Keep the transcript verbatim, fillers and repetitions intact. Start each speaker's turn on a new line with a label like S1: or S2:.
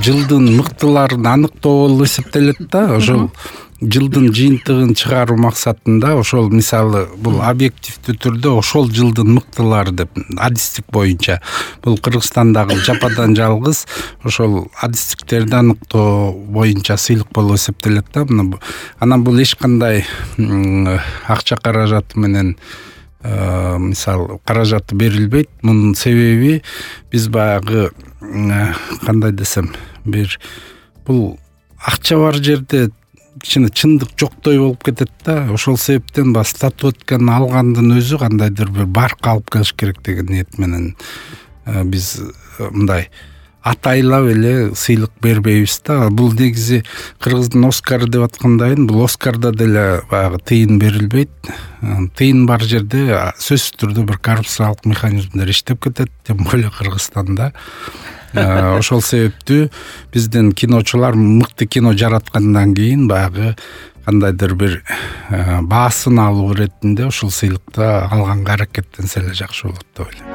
S1: жылдын мыктыларын аныктоо болуп эсептелет да. Ошол жылдын жыйынтыгын чыгаруу максатында ошол мисалы бул объективдүү түрдө ошол жылдын мыктылары деп адистик боюнча бул Кыргызстандагы жападан жалгыз ошол адистиктерди аныктоо боюнча сыйлык болуп эсептелет да. Анан бул эч кандай акча каражаты менен мисалы каражаты берилбейт. Мунун себеби биз баягы кандай десем бир бул акча бар жерде кичине чындык жоктой болуп кетет да. Ошол себептен ба статуэтканы алгандын өзү кандайдыр бир барк алып келиш керек деген ниет менен биз мындай атайлап эле сыйлык бербейбиз да. Бул негизи Кыргыздын Оскары деп аткандайын, бул Оскарда деле баягы тыйын берилбейт. Тыйын бар жерде сөзсүз түрдө бир коррупциялык механизмдер иштеп кетет, тем более Кыргызстанда. Ошол себептүү биздин киночулар мыкты кино жараткандан кийин баягы кандайдыр бир баасын алуу иретинде ушул сыйлыкты алганга аракеттенсе эле жакшы болот деп ойлойм.